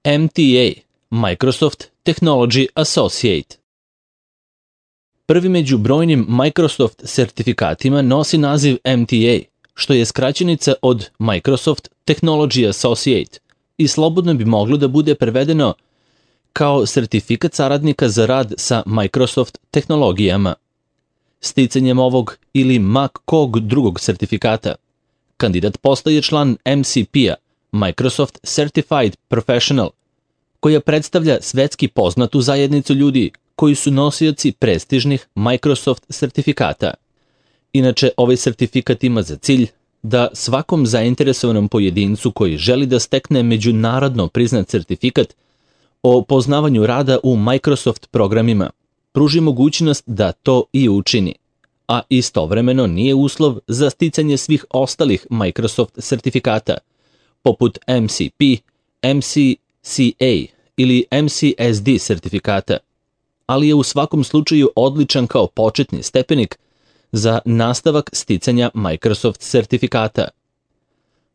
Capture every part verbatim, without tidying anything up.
M T A, Microsoft Technology Associate. Prvi među brojnim Microsoft sertifikatima nosi naziv M T A, što je skraćenica od Microsoft Technology Associate i slobodno bi moglo da bude prevedeno kao sertifikat saradnika za rad sa Microsoft tehnologijama. Sticanjem ovog ili ma kog drugog sertifikata, kandidat postaje član M C P-a, Microsoft Certified Professional, koja predstavlja svetski poznatu zajednicu ljudi koji su nosioci prestižnih Microsoft sertifikata. Inače, ovaj sertifikat ima za cilj da svakom zainteresovanom pojedincu koji želi da stekne međunarodno priznat sertifikat o poznavanju rada u Microsoft programima pruži mogućnost da to i učini, a istovremeno nije uslov za sticanje svih ostalih Microsoft sertifikata, poput M C P, M C C A ili M C S D sertifikata, ali je u svakom slučaju odličan kao početni stepenik za nastavak sticanja Microsoft sertifikata.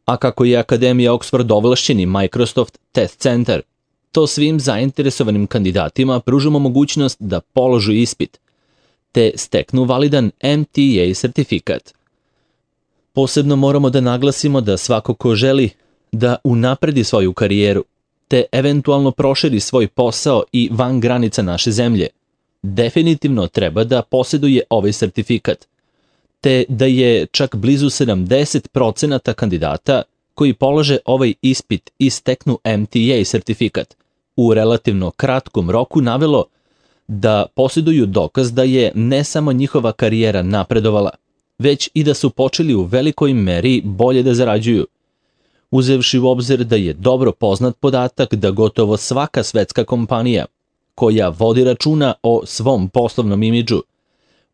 A kako je Akademija Oxford ovlašćeni Microsoft Test Center, to svim zainteresovanim kandidatima pružamo mogućnost da položu ispit, te steknu validan M T A sertifikat. Posebno moramo da naglasimo da svako ko želi da unapredi svoju karijeru, te eventualno proširi svoj posao i van granica naše zemlje, definitivno treba da posjeduje ovaj sertifikat, te da je čak blizu sedamdeset procenata kandidata koji polože ovaj ispit i steknu M T A sertifikat u relativno kratkom roku navelo da posjeduju dokaz da je ne samo njihova karijera napredovala, već i da su počeli u velikoj meri bolje da zarađuju, uzevši u obzir da je dobro poznat podatak da gotovo svaka svetska kompanija koja vodi računa o svom poslovnom imidžu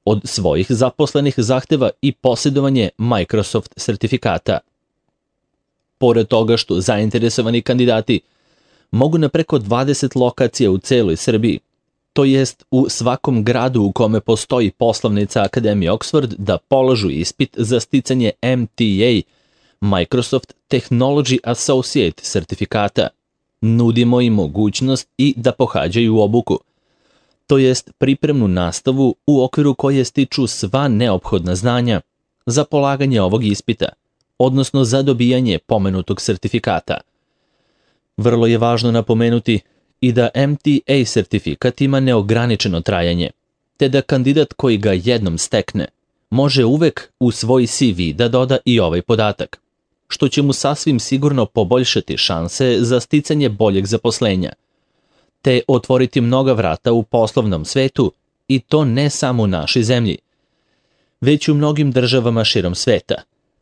od svojih zaposlenih zahteva i posjedovanje Microsoft sertifikata. Pored toga što zainteresovani kandidati mogu na preko dvadeset lokacija u celoj Srbiji, to jest u svakom gradu u kome postoji poslovnica Akademije Oxford, da položu ispit za sticanje M T A, Microsoft Technology Associate sertifikata, nudimo im mogućnost i da pohađaju obuku, to jest pripremnu nastavu u okviru koje stiču sva neophodna znanja za polaganje ovog ispita, odnosno za dobijanje pomenutog sertifikata. Vrlo je važno napomenuti i da M T A sertifikat ima neograničeno trajanje, te da kandidat koji ga jednom stekne može uvek u svoj C V da doda i ovaj podatak, što će mu sasvim sigurno poboljšati šanse za sticanje boljeg zaposlenja, te otvoriti mnoga vrata u poslovnom svetu, i to ne samo u našoj zemlji, već u mnogim državama širom sveta,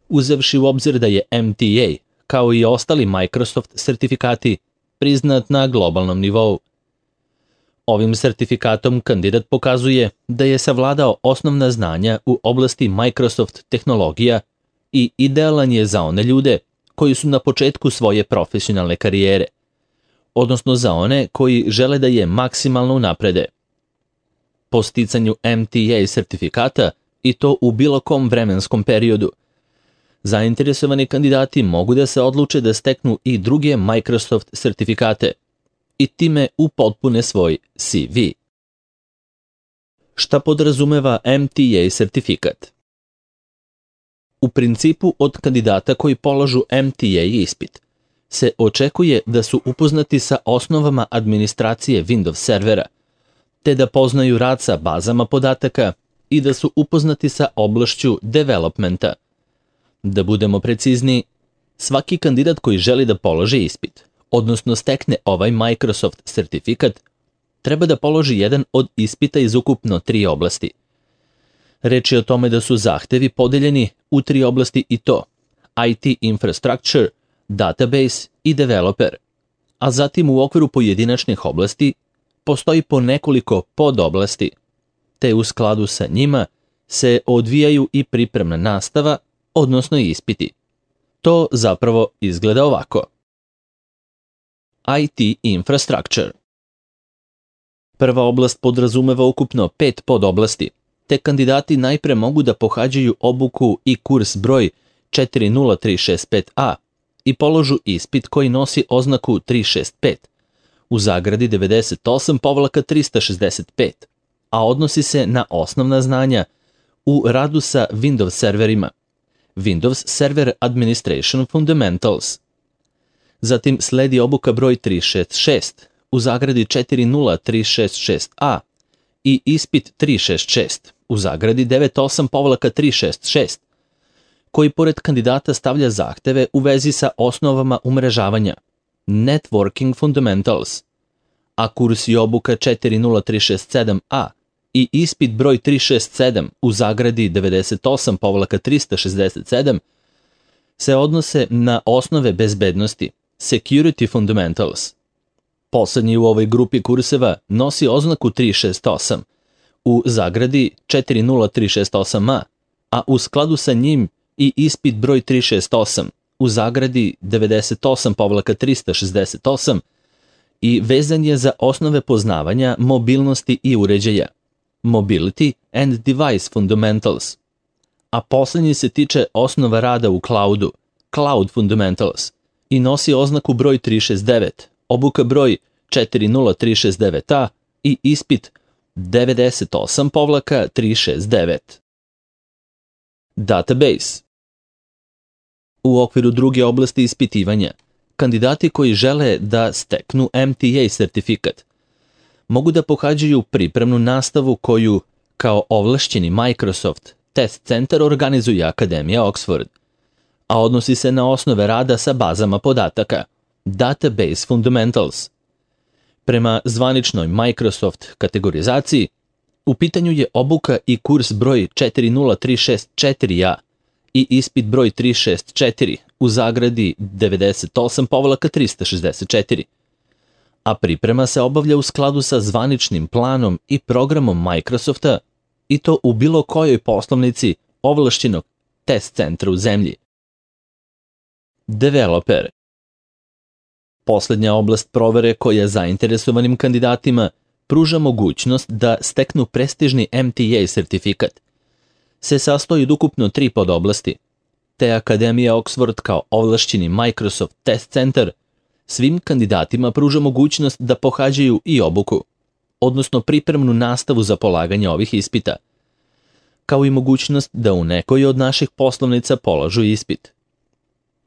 uzevši u obzir da je M T A, kao i ostali Microsoft sertifikati, priznat na globalnom nivou. Ovim sertifikatom kandidat pokazuje da je savladao osnovna znanja u oblasti Microsoft tehnologija i idealan je za one ljude koji su na početku svoje profesionalne karijere, odnosno za one koji žele da je maksimalno unaprede. Po sticanju M T A sertifikata, i to u bilo kom vremenskom periodu, zainteresovani kandidati mogu da se odluče da steknu i druge Microsoft sertifikate i time upotpune svoj C V. Šta podrazumeva M T A sertifikat? U principu od kandidata koji polažu M T A ispit se očekuje da su upoznati sa osnovama administracije Windows servera, te da poznaju rad sa bazama podataka i da su upoznati sa oblašću developmenta. Da budemo precizni, svaki kandidat koji želi da položi ispit, odnosno stekne ovaj Microsoft sertifikat, treba da položi jedan od ispita iz ukupno tri oblasti. Reč je o tome da su zahtevi podeljeni u tri oblasti, i to I T infrastructure, database i developer, a zatim u okviru pojedinačnih oblasti postoji po nekoliko podoblasti, te u skladu sa njima se odvijaju i pripremna nastava, odnosno ispiti. To zapravo izgleda ovako. I T infrastructure. Prva oblast podrazumeva ukupno pet podoblasti, te kandidati najpre mogu da pohađaju obuku i kurs broj četiri nula tri šest pet A i položu ispit koji nosi oznaku tri šest pet, u zagradi devedeset osam trista šezdeset pet, a odnosi se na osnovna znanja u radu sa Windows serverima, Windows Server Administration Fundamentals. Zatim sledi obuka broj tristo šezdeset šest u zagradi četiri nula tri šest šest a i ispit tristo šezdeset šest u zagradi devedeset osam tri šest šest, koji pored kandidata stavlja zahteve u vezi sa osnovama umrežavanja, Networking Fundamentals, a kurs i obuka četiri nula tri šest sedam a i ispit broj tristo šezdeset sedam u zagradi devedeset osam trista šezdeset sedam se odnose na osnove bezbednosti, Security Fundamentals. Poslednji u ovoj grupi kurseva nosi oznaku tristo šezdeset osam u zagradi četiri nula tri šest osam a, a u skladu sa njim i ispit broj tristo šezdeset osam u zagradi devedeset osam trista šezdeset osam i vezan je za osnove poznavanja mobilnosti i uređaja, Mobility and Device Fundamentals, a poslednji se tiče osnova rada u cloudu, Cloud Fundamentals, i nosi oznaku broj tristo šezdeset devet, obuka broj četiri nula tri šest devet a i ispit devedeset osam tri šest devet. Database. U okviru druge oblasti ispitivanja, kandidati koji žele da steknu M T A sertifikat mogu da pohađaju pripremnu nastavu koju, kao ovlašćeni Microsoft Test Center, organizuje Akademija Oxford, a odnosi se na osnove rada sa bazama podataka, Database Fundamentals. Prema zvaničnoj Microsoft kategorizaciji, u pitanju je obuka i kurs broj četiri nula tri šest četiri a i ispit broj tristo šezdeset četiri u zagradi devedeset osam trista šezdeset četiri, a priprema se obavlja u skladu sa zvaničnim planom i programom Microsofta i to u bilo kojoj poslovnici ovlašćenog test centra u zemlji. Developer. Poslednja oblast provere koja zainteresovanim kandidatima pruža mogućnost da steknu prestižni M T A sertifikat se sastoji od ukupno tri podoblasti, te Akademija Oxford kao ovlašćeni Microsoft Test Center svim kandidatima pruža mogućnost da pohađaju i obuku, odnosno pripremnu nastavu za polaganje ovih ispita, kao i mogućnost da u nekoj od naših poslovnica polažu ispit.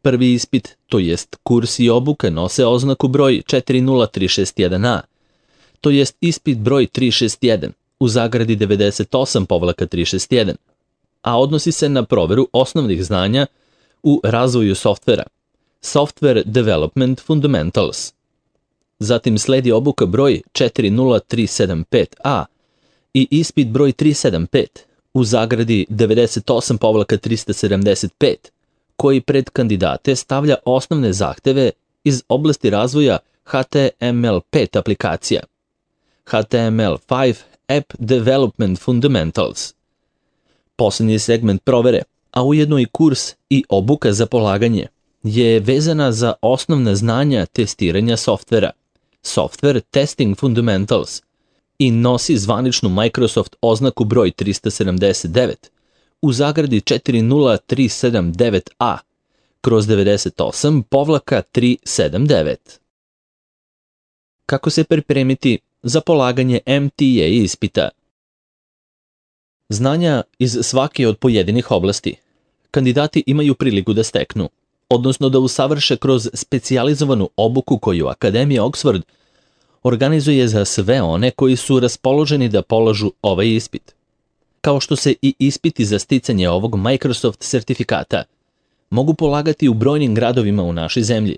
Prvi ispit, to jest kurs i obuka, nose oznaku broj četiri nula tri šest jedan a, to jest ispit broj tristo šezdeset jedan u zagradi devedeset osam tri šest jedan, a odnosi se na proveru osnovnih znanja u razvoju softvera, Software Development Fundamentals. Zatim sledi obuka broj četiri nula tri sedam pet a i ispit broj tristo sedamdeset pet u zagradi devedeset osam trista sedamdeset pet, koji pred kandidate stavlja osnovne zahteve iz oblasti razvoja H T M L pet aplikacija, H T M L pet App Development Fundamentals. Poslednji segment provere, a ujedno i kurs i obuka za polaganje, je vezana za osnovna znanja testiranja softvera, Software Testing Fundamentals, i nosi zvaničnu Microsoft oznaku broj tristo sedamdeset devet u zagradi četiri nula tri sedam devet a kroz devedeset osam tri sedam devet. Kako se pripremiti za polaganje M T A ispita? Znanja iz svake od pojedinih oblasti kandidati imaju priliku da steknu, odnosno da usavrše kroz specijalizovanu obuku koju Akademija Oxford organizuje za sve one koji su raspoloženi da polažu ovaj ispit. Kao što se i ispiti za sticanje ovog Microsoft sertifikata mogu polagati u brojnim gradovima u našoj zemlji.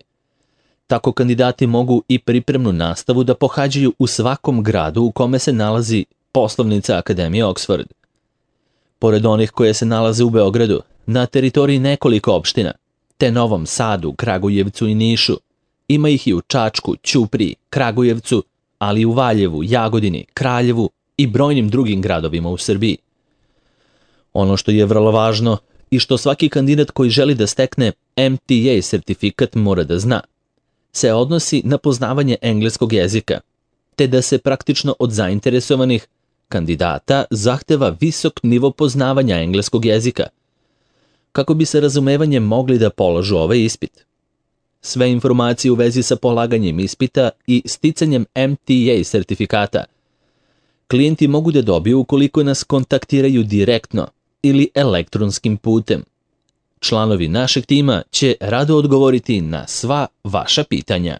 Tako kandidati mogu i pripremnu nastavu da pohađaju u svakom gradu u kome se nalazi poslovnica Akademije Oxford. Pored onih koje se nalaze u Beogradu, na teritoriji nekoliko opština, te Novom Sadu, Kragujevcu i Nišu, ima ih i u Čačku, Ćupriji, Kragujevcu, ali i u Valjevu, Jagodini, Kraljevu i brojnim drugim gradovima u Srbiji. Ono što je vrlo važno i što svaki kandidat koji želi da stekne M T A sertifikat mora da zna, se odnosi na poznavanje engleskog jezika, te da se praktično od zainteresovanih kandidata zahteva visok nivo poznavanja engleskog jezika, kako bi se razumevanjem mogli da polažu ovaj ispit. sve informacije u vezi sa polaganjem ispita i sticanjem M T A sertifikata klijenti mogu da dobiju ukoliko nas kontaktiraju direktno ili elektronskim putem. Članovi našeg tima će rado odgovoriti na sva vaša pitanja.